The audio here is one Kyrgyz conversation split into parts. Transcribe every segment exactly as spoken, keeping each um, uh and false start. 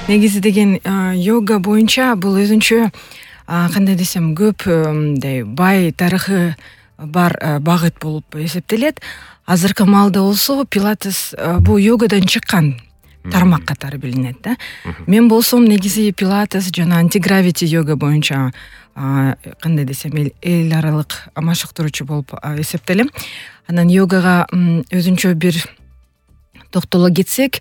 негизи деген йога боюнча бул өзүнчө кандай десем көп мындай бай тарыхы бар багыт болуп эсептелет. Азыркы маалда болсо пилатес бул йогадан чыккан тармак катары билинет да. Мен болсом негизи пилатес жана антигравити йога боюнча кандай десем эл аралык машыктыруучу болуп эсептелем. Анан йогага өзүнчө бир токтоло кетсек,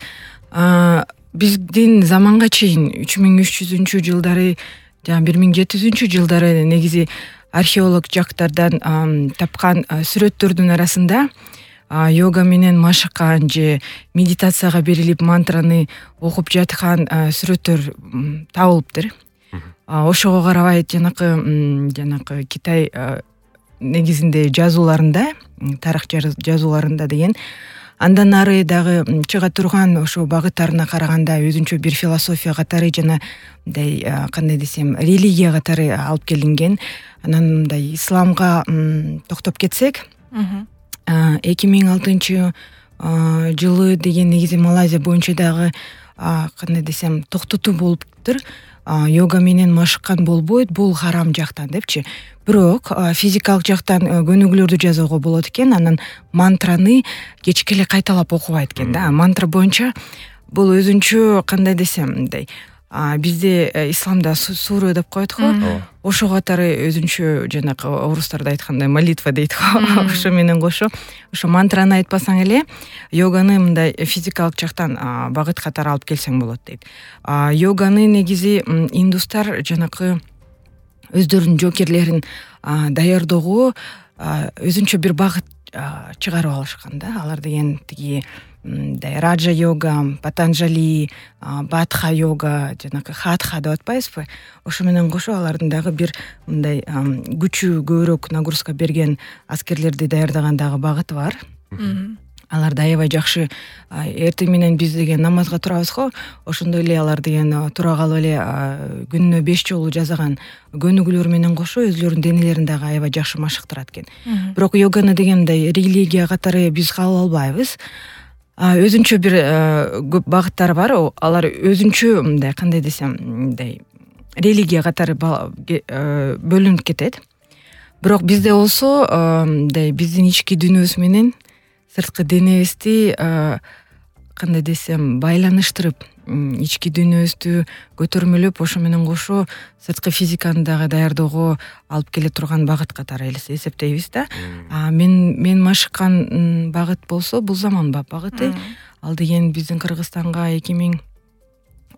биздин заманга чейин үч миң үч жүзүнчү жылдары жана бир миң жети жүзүнчү жылдары негизи археолог жактардан тапкан сүрөттөрдүн арасында йога менен машыккан же медитацияга берилип мантраны окуп жаткан сүрөттөр табылыптыр. Ошого карабай жанакы жанакы Китай негизинде жазууларында, тарых жазууларында деген андан ары дагы чыга турган ошо багыттарына караганда өзүнчө бир философия катары жана мындай кандай десем религия катары алып келинген. Анан мындай исламга токтоп кетсек, эки миң алтынчы жылы деген негизи Малайзия боюнча дагы кандай десем токтотуу болуптур. Йога менен машыккан болбойт, бул харам жактан депчи. Бирок физикалык жактан көнүгүүлөрдү жасоого болот экен. Анан мантраны кечке эле кайталап окубайт экен да. Мантра боюнча бул өзүнчө кандай десем мындай бизде исламда сура деп коет го. Ошо катары өзүнчө жанакы орустарда айткандай молитва дейт го. Ошо менен кошо ошо мантраны айтпасаң эле йоганы мындай физикалык жактан багыт катары алып келсең болот дейт. Йоганы негизи индустар жанакы өздөрүнүн жоокерлерин даярдоого өзүнчө бир багыт чыгарып алышкан да. Алар деген тиги мындай раджа йога, патанжали, бадха йога, жанакы хатха деп атпайбызбы? Ошо менен кошо алардын дагы бир мындай күчү көбүрөөк нагрузка берген аскерлерди даярдаган дагы багыты бар. Алар да аябай жакшы эртең менен биз деген намазга турабыз го, ошондой эле алар деген тура калып эле күнүнө беш жолу жасаган көнүгүүлөр менен кошо өзүлөрүнүн денелерин дагы аябай жакшы машыктырат экен. Бирок йоганы деген мындай религия катары биз кабыл албайбыз. Өзүнчө бир көп багыттары бар. Алар өзүнчө мындай кандай десем мындай религия катары бөлүнүп кетет. Бирок бизде болсо мындай биздин ички дүйнөбүз менен сырткы денебизди кандай десем байланыштырып, ички дүйнөбүздү көтөрмөлөп, ошо менен кошо сырткы физиканы дагы даярдоого алып келе турган багыт катары эсептейбиз да. Мен мен машыккан багыт болсо бул заманбап багыты. Ал деген биздин Кыргызстанга эки миң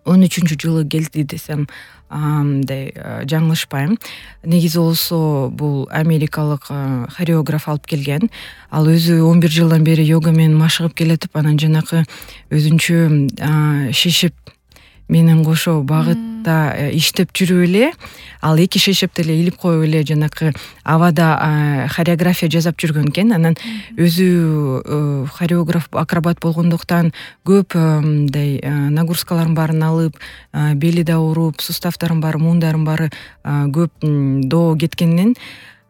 он үчүнчү жылы келди десем мындай жаңылышпайм. Негизи болсо бул америкалык хореограф алып келген. Ал өзү он бир жылдан бери йога менен машыгып келатып, анан жанакы өзүнчө шешеп менен кошо багытта иштеп жүрүп эле, ал эки шешепти эле илип коюп эле жанакы абада хореография жасап жүргөн экен. Анан өзү хореограф, акробат болгондуктан көп мындай нагрузкалардын баарын алып, бели да ооруп, сустав бары, муундарын бары көп доо кеткенден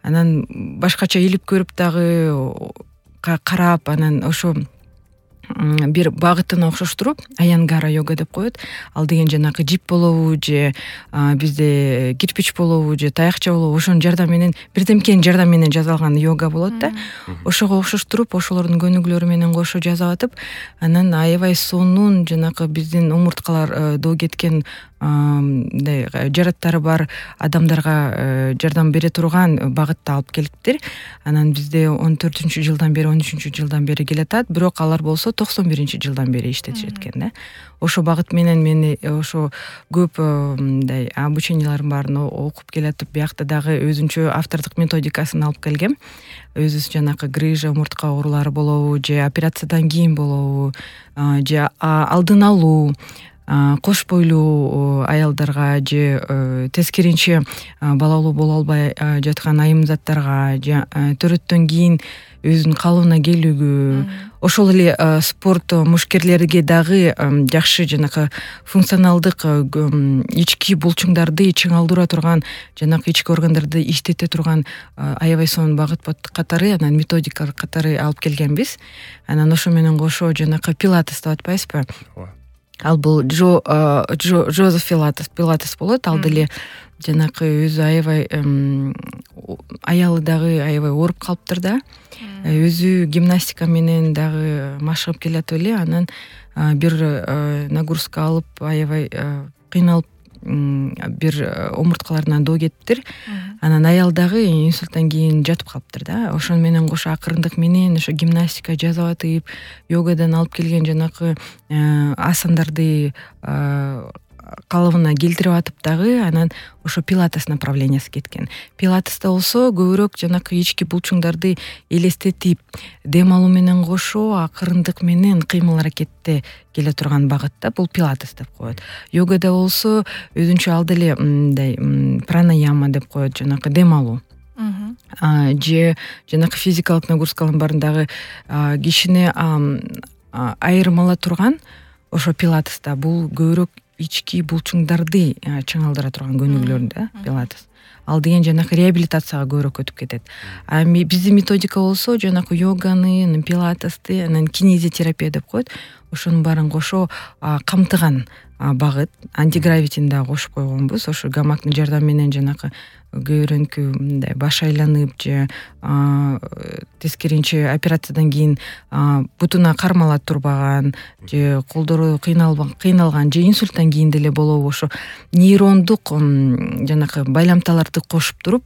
анан башкача илип көрүп дагы карап, анан ошо бир багытына окшоштуруп аянгара йога деп коет. Ал деген жанакы жип болобу же бизде кирпич болобу же таякча болобу, ошонун жардам менен бирдемкенин жардам менен жасалган йога болот да. Ошого окшоштуруп, ошолордун көнүгүүлөрү менен кошо жасап атып, анан аябай сонун жанакы биздин омурткалар доо кеткен мындай жараттары бар адамдарга жардам бере турган багытта алып келиптир. Анан бизде он төртүнчү жылдан бери, он үчүнчү жылдан бери келатат, бирок алар болсо токсон биринчи жылдан бери иштетишет экен да. Ошо багыт менен мен ошо көп мындай обучениялардын баарын окуп келатып, биякта дагы өзүнчө автордук методикасын алып келгем. Өзүбүз жанакы грыжа, омуртка оорулары болобу же операциядан кийин болобу же алдын алуу, кош бойлуу аялдарга же тескеринче балалуу боло албай жаткан айымзаттарга же төрөттөн кийин өзүнүн калыбына келүүгө, ошол эле спорт мушкерлерге дагы жакшы жанакы функционалдык ички булчуңдарды чыңалдыра турган, жанакы ички органдарды иштете турган аябай сонун багыт катары, анан методика катары алып келгенбиз. Анан ошо менен кошо жанакы пилатес деп атпайбызбы? ал бул Джо Жозеф Пилатес Пилатес болот. Ал деле жанакы өзү аябай аялы дагы аябай ооруп калыптыр да. Өзү гимнастика менен дагы машыгып келатып эле, анан бир нагрузка алып аябай кыйналып бир омурткаларынан доо кетиптир. Анан аял дагы инсульттан кийин жатып калыптыр да. Ошону менен кошо акырындык менен ошо гимнастика жасап атып, йогадан алып келген жанакы асандарды калыбына келтирип атып дагы анан ошо пилатес направлениясы кеткен. Пилатеста болсо көбүрөөк жанакы ички булчуңдарды элестетип, дем алуу менен кошо акырындык менен кыймыл аракетте келе турган багытта бул пилатес деп коет. Йогада болсо өзүнчө ал деле мындай пранаяма деп коет, жанакы дем алуу. Же жанакы физикалык нагрузкалардын баарындагы кишини айырмала турган ошо пилатеста бул көбүрөөк ички булчуңдарды чыңалдыра турган көнүгүүлөр да пилатес. Ал деген жанакы реабилитацияга көбүрөөк өтүп кетет. А биздин методика болсо жанакы йоганы, пилатести, анан кинезиотерапия деп коет. Ошонун баарын кошо камтыган багыт. Антигравитини да кошуп койгонбуз. Ошо гамактын жардамы менен жанакы көбүрөнкү мындай баш айланып же тескеринче операциядан кийин бутуна кармала турбаган же колдору кыйналган кыйналган же инсульттан кийин деле болобу ошо нейрондук жанакы байламталарды кошуп туруп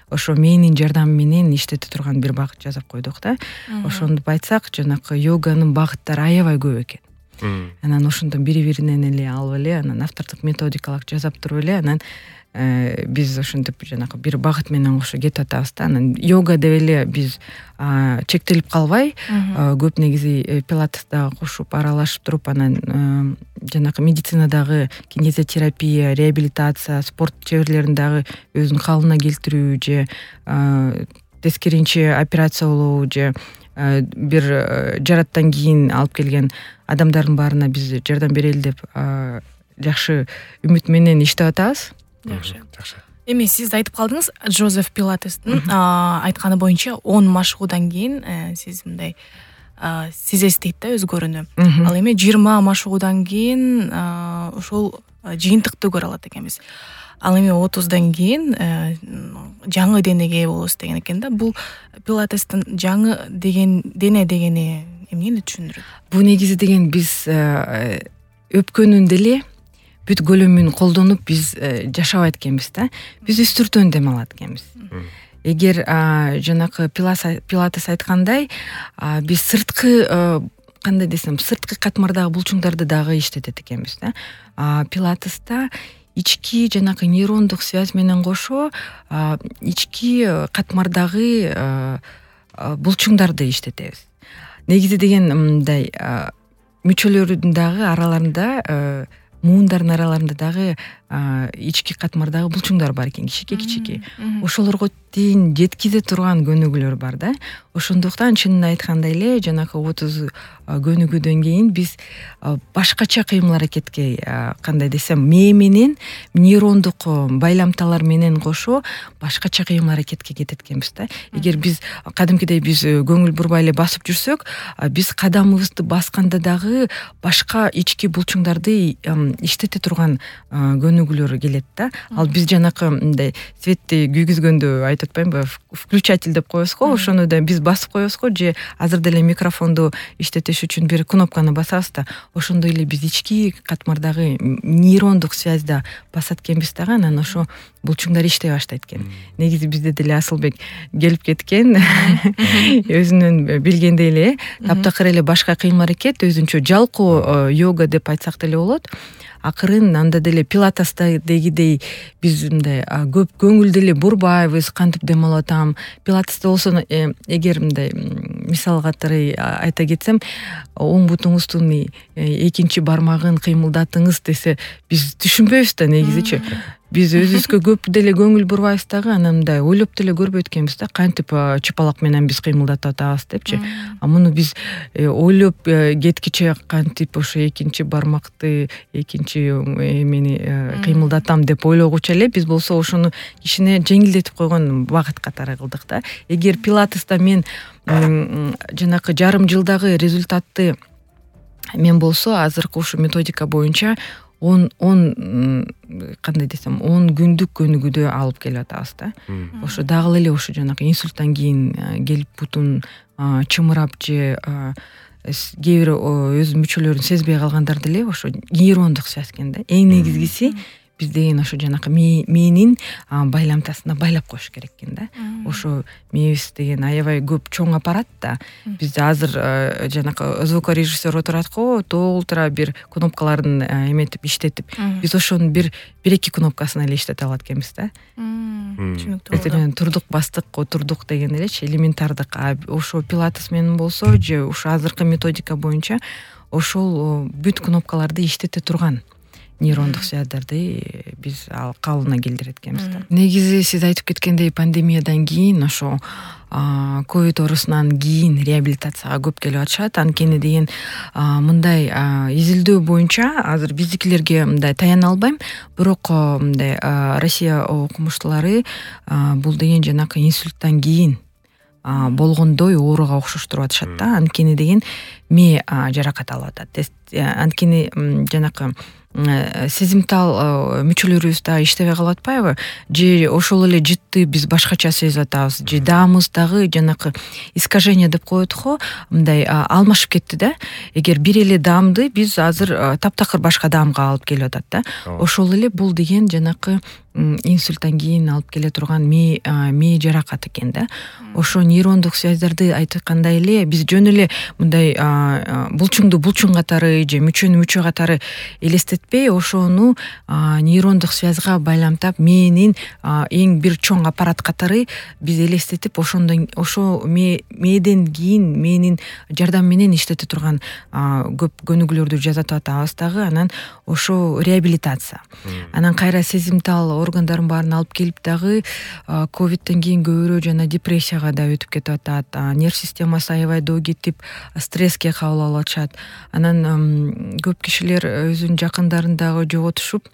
ошо мээнин жардамы менен иштете турган бир багыт жасап койдук да. Ошондуп айтсак жанакы йоганын багыттары аябай көп экен. Анан ошондон бири-биринен эле алып эле анан автордук методикалык жасап туруп эле анан биз ошентип жанакы бир багыт менен кошо кетип атабыз да. Анан йога деп эле биз чектелип калбай, көп негизи пилатеста кошуп аралашып туруп анан жанакы медицинадагы кинезиотерапия, реабилитация, спорт чеберлерин дагы өзүнүн калыбына келтирүү же тескеринче операция болобу же бир жараттан кийин алып келген адамдардын баарына биз жардам берели деп жакшы үмүт менен иштеп атабыз. Жакшы. Жакшы. Эми сиз айтып калдыңыз, Жозеф Пилатестин айтканы боюнча он машыгуудан кийин сиз мындай сезесиз да өзгөрүүнү. Ал эми жыйырма машыгуудан кийин ошол жыйынтыкты көрө алат экенбиз. Ал эми отуздан кийин жаңы денеге болосуз деген экен да. Бул пилатестин жаңы деген дене дегени эмнени түшүндүрөт? Бул негизи деген биз өпкөнүн деле бүт көлөмүн колдонуп биз жашабайт экенбиз да. Биз үстүртөн дем алат экенбиз. Эгер жанакы пилатес айткандай, биз сырткы кандай десем, сырткы катмардагы булчуңдарды дагы иштетет экенбиз да. Пилатеста ички жанакы нейрондук связь менен кошо ички катмардагы булчуңдарды иштетебиз. Негизи деген мындай мүчөлөрдүн дагы араларында, муундардын араларында дагы ички катмардагы булчуңдар бар экен, кичике-кичике. Ошолорго тейин жеткизе турган көнүгүүлөр бар да. Ошондуктан чынын айткандай эле жанакы отуз көнүгүүдөн кийин биз башкача кыймыл аракетке, кандай десем, мээ менен нейрондук байламталар менен кошо башкача кыймыл аракетке кетет экенбиз да. Эгер биз кадимкидей биз көңүл бурбай эле басып жүрсөк, биз кадамыбызды басканда дагы башка ички булчуңдарды иштете турган көнүгүүлөр келет да. Ал биз жанакы мындай светти күйгүзгөндө айтып атпаймынбы, включатель деп коебуз го, ошону да биз басып коебуз го, же азыр деле микрофонду иштетиш үчүн бир кнопканы басабыз да, ошондой эле биз ички катмардагы нейрондук связьда басат экенбиз дагы, анан ошо булчуңдар иштей баштайт экен. Негизи бизде деле Асылбек келип кеткен, өзүнүн билгендей эле таптакыр эле башка кыймыл аракет, өзүнчө жалкоо йога деп айтсак деле болот. Акырын анда деле пилатестегидей биз мындай көп көңүл деле бурбайбыз, кантип дем алып атам. Пилатеста болсо эгер мындай мисал катары айта кетсем, оң бутуңуздун экинчи бармагын кыймылдатыңыз десе, биз түшүнбөйбүз да негизичи. Биз өзүбүзгө көп деле көңүл бурбайбыз дагы, анан мындай ойлоп деле көрбөйт экенбиз да, кантип чыпалак менен биз кыймылдатып атабыз депчи. А муну биз ойлоп кеткиче кантип ошо экинчи бармакты, экинчи эмени кыймылдатам деп ойлогучу эле биз болсо ошону кичине жеңилдетип койгон багыт катары кылдык да. Эгер пилатеста мен жанакы жарым жылдагы результатты мен болсо азыркы ушу методика боюнча он он кандай десем он күндүк көнүгүүдө алып келип атабыз да. Ошо дагы эле ошо жанагы инсульттан кийин келип бутун чымырап же кээ бир өз мүчөлөрүн сезбей калгандар деле ошо нейрондук связь экен да. Эң негизгиси биз деген ошо жанакы мээнин байламтасына байлап коюш керек экен да. Ошо мээбиз деген аябай көп чоң аппарат да. Бизде азыр жанакы звукорежиссер отурат го, толтура бир кнопкаларын эметип иштетип, биз ошонун бир бир эки кнопкасын эле иштете алат экенбиз да. Түшүнүктүү. Эми турдук бастык, отурдук деген элечи элементардык. Ошо пилатес менен болсо же ушу азыркы методика боюнча ошол бүт кнопкаларды иштете турган нейрондук связьдарды биз ал калыбына келтирет экенбиз да. Негизи сиз айтып кеткендей пандемиядан кийин ошо ковид оорусунан кийин реабилитацияга көп келип атышат. Анткени деген мындай изилдөө боюнча азыр биздикилерге мындай таяна албайм, бирок мындай Россия окумуштуулары бул деген жанакы инсульттан кийин болгондой ооруга окшоштуруп атышат да. Анткени деген мээ жаракат алып атат. Анткени жанакы сезимтал мүчөлөрүбүз да иштебей калып атпайбы, же ошол эле жытты биз башкача сезип атабыз, же даамыбыз дагы жанакы искажение деп коет го, мындай алмашып кетти да. Эгер бир эле даамды биз азыр таптакыр башка даамга алып келип атат да. Ошол эле бул деген жанакы инсульттан кийин алып келе турган мээ мээ жаракат экен да. Ошо нейрондук связьдарды айткандай эле биз жөн эле мындай булчуңду булчуң катары же мүчөнү мүчө катары элестетпей, ошону нейрондук связьга байламтап мээнин эң бир чоң аппарат катары биз элестетип, ошондон ошо мээден кийин мээнин жардамы менен иштете турган көп көнүгүүлөрдү жасатып атабыз дагы. Анан ошо реабилитация. Анан кайра сезимтал органдарын баарын алып келип дагы ковидтен кийин көбүрөөк жана депрессияга да өтүп кетип атат. Нерв системасы аябай доо кетип, стресске кабыл алып атышат. Анан көп кишилер өзүнүн жакындарын дагы жоготушуп,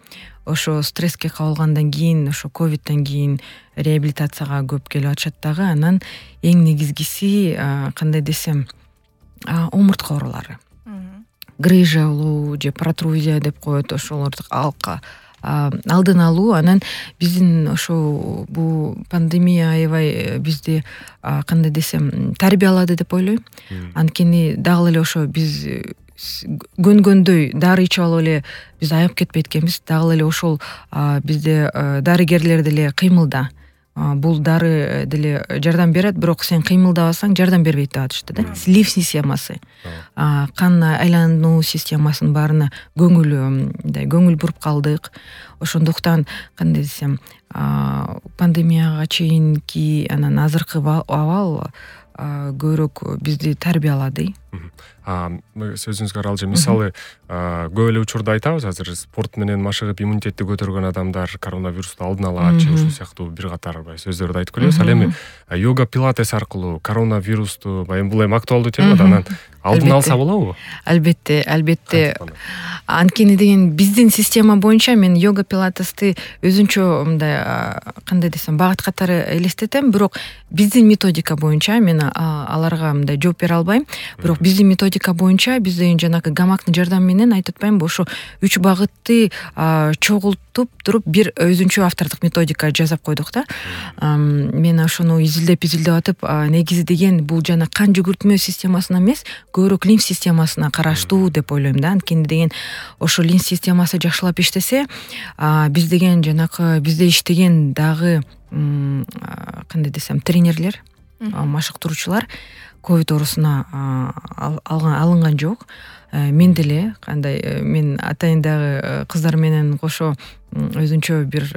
ошо стресске кабылгандан кийин, ошо ковидтен кийин реабилитацияга көп келип атышат дагы. Анан эң негизгиси кандай десем, омуртка оорулары. Грыжа болобу же протрузия деп коет, ошолорду алка алдын алуу. Анан биздин ошо бул пандемия аябай бизди кандай десем тарбиялады деп ойлойм. Анткени дагы эле ошо биз көнгөндөй дары ичип алып эле биз айыгып кетпейт экенбиз. Дагы эле ошол бизде дарыгерлер деле кыймылда. Бул дары деле жардам берет, бирок сен кыймылдабасаң жардам бербейт деп атышты да. Слив системасы, кан айлануу системасынын баарына көңүл мындай көңүл буруп калдык. Ошондуктан кандай десем, пандемияга чейинки анан азыркы абал көбүрөөк бизди тарбиялады. Сөзүңүзгө аралжы, мисалы көп эле учурда айтабыз, азыр спорт менен машыгып иммунитетти көтөргөн адамдар коронавирусту алдын алат, же ушул сыяктуу бир катар сөздөрдү айтып келебиз. Ал эми йога пилатес аркылуу коронавирусту, баягы бул эми актуалдуу тема да, анан алдын алса болобу? Албетте, албетте. Анткени деген биздин система боюнча мен йога пилатести өзүнчө мындай кандай десем багыт катары элестетем, бирок биздин методика боюнча мен аларга мындай жооп бере албайм. Бирок биздин методика боюнча биз деген жанагы гамактын жардамы менен айтып атпаймынбы, ошо үч багытты чогултуп туруп бир өзүнчө автордук методика жасап койдук да. Мен ошону изилдеп изилдеп атып, негизи деген бул жана кан жүгүртмө системасына эмес, көбүрөөк лимф системасына караштуу деп ойлойм да. Анткени деген ошо лимф системасы жакшылап иштесе, биз деген жанакы бизде иштеген дагы кандай десем тренерлер, машыктыруучулар ковид оорусуна алынган жок. Мен деле кандай мен атайын дагы кыздар менен кошо өзүнчө бир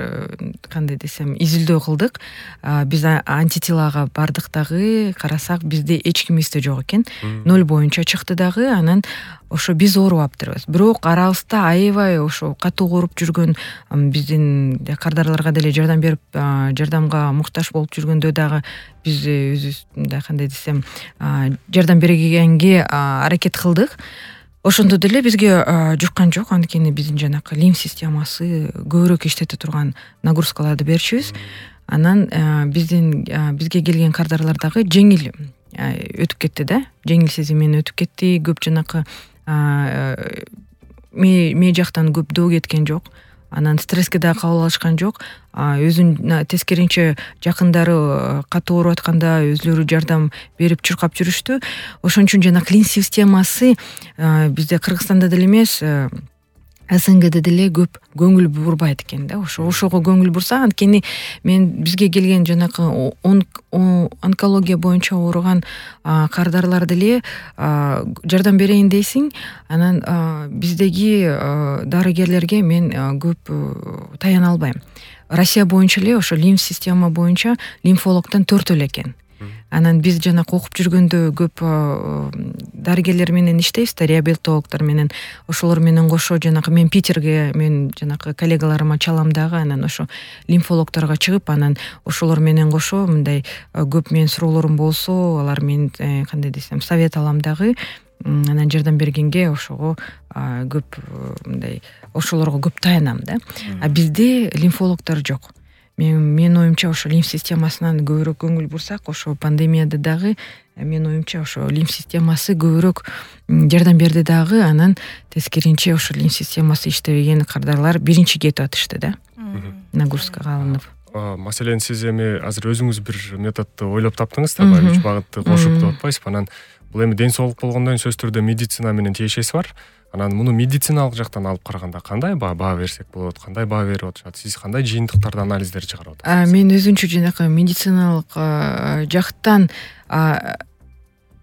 кандай десем изилдөө кылдык. Биз антителага бардык дагы, карасак бизде эч кимибизде жок экен. Ноль боюнча чыкты дагы. Анан ошо биз оорубаптырбыз. Бирок арабызда аябай ошо катуу ооруп жүргөн биздин кардарларга деле жардам берип, жардамга муктаж болуп жүргөндө дагы биз өзүбүз мындай кандай десем жардам бергенге аракет кылдык. Ошондо деле бизге жуккан жок, анткени биздин жанакы лимф системасы көбүрөөк иштете турган нагрузкаларды берчүбүз. Анан биздин бизге келген кардарлар дагы жеңил өтүп кетти да, жеңил сезим менен өтүп кетти. Көп жанакы ме жактан көп доо кеткен жок, анан стресске дагы кабыл алышкан жок. Өзүнүн тескеринче жакындары катуу ооруп атканда өзлөрү жардам берип чуркап жүрүштү. Ошон үчүн жана клин системасы бизде Кыргызстанда деле эмес, СНГде деле көп көңүл бурбайт экен да. Ошо ошого көңүл бурса, анткени мен бизге келген жанакы онкология боюнча ооруган кардарлар деле жардам берейин дейсиң, анан биздеги дарыгерлерге мен көп таяна албайм. Россия боюнча эле ошо лимф система боюнча лимфологдон төртөө эле экен. Анан биз жанакы окуп жүргөндө көп дарыгерлер менен иштейбиз да, реабилитологдор менен. Ошолор менен кошо жанакы мен Питерге, мен жанакы коллегаларыма чалам дагы, анан ошо лимфологдорго чыгып, анан ошолор менен кошо мындай көп мен суроолорум болсо, алар мен кандай десем совет алам дагы. Анан жардам бергенге ошого көп мындай ошолорго көп таянам да. А бизде лимфологдор жок. Мен мен оюмча ошо лимф системасынан көбүрөөк көңүл бурсак, ошо пандемияда дагы мен оюмча ошо лимф системасы көбүрөөк жардам берди дагы, анан тескеринче ошо лимф системасы иштебеген кардарлар биринчи кетип атышты да. Нагрузкага алынып. Маселен, сиз эми азыр өзүңүз бир методду ойлоп таптыңыз да, баягы үч багытты кошуп деп атпайсызбы? Анан бул эми ден соолук болгондон сөзсүз түрдө медицина менен тиешеси бар. Анан муну медициналык жактан алып караганда кандай баа берсек болот, кандай баа берип атышат? Сиз кандай жыйынтыктарды, анализдер чыгарып атасыз? Мен өзүнчө жанакы медициналык жактан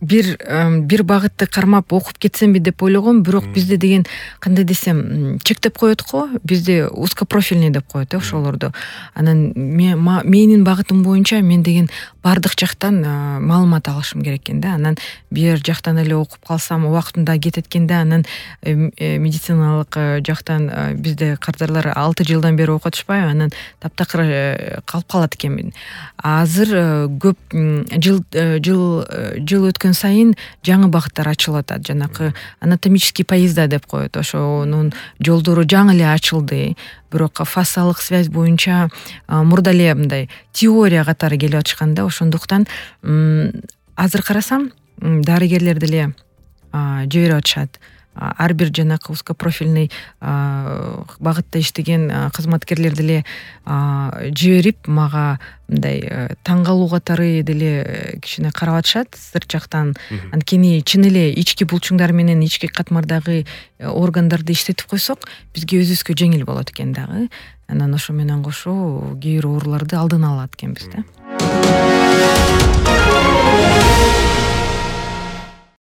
бир бир багытты кармап окуп кетсемби деп ойлогом, бирок бизде деген кандай десем чектеп коет го, бизде узкопрофильный деп коет э ошолорду. Анан менин багытым боюнча мен деген бардык жактан маалымат алышым керек экен да. Анан бир жактан эле окуп калсам убактында кетет экен да. Анан медициналык жактан бизде кардарлар алты жылдан бери окуп атышпайбы, анан таптакыр калып калат экенмин. Азыр көп жыл жыл жыл өткөн сайын жаңы багыттар ачылып атат. Жанакы анатомический поезда деп коет. Ошонун жолдору жаңы эле ачылды. Бирок фасалык связь боюнча мурда эле мындай теория катары келип атышкан да. Ошондуктан азыр карасам дарыгерлер деле жиберип атышат. Ар бир жанакы узкопрофильный багытта иштеген кызматкерлер деле жиберип, мага мындай таң калуу катары деле кичине карап атышат сырт жактан. Анткени чын эле ички булчуңдар менен ички катмардагы органдарды иштетип койсок, бизге өзүбүзгө жеңил болот экен дагы. Анан ошо менен кошо кээ бир ооруларды алдын алат экенбиз да.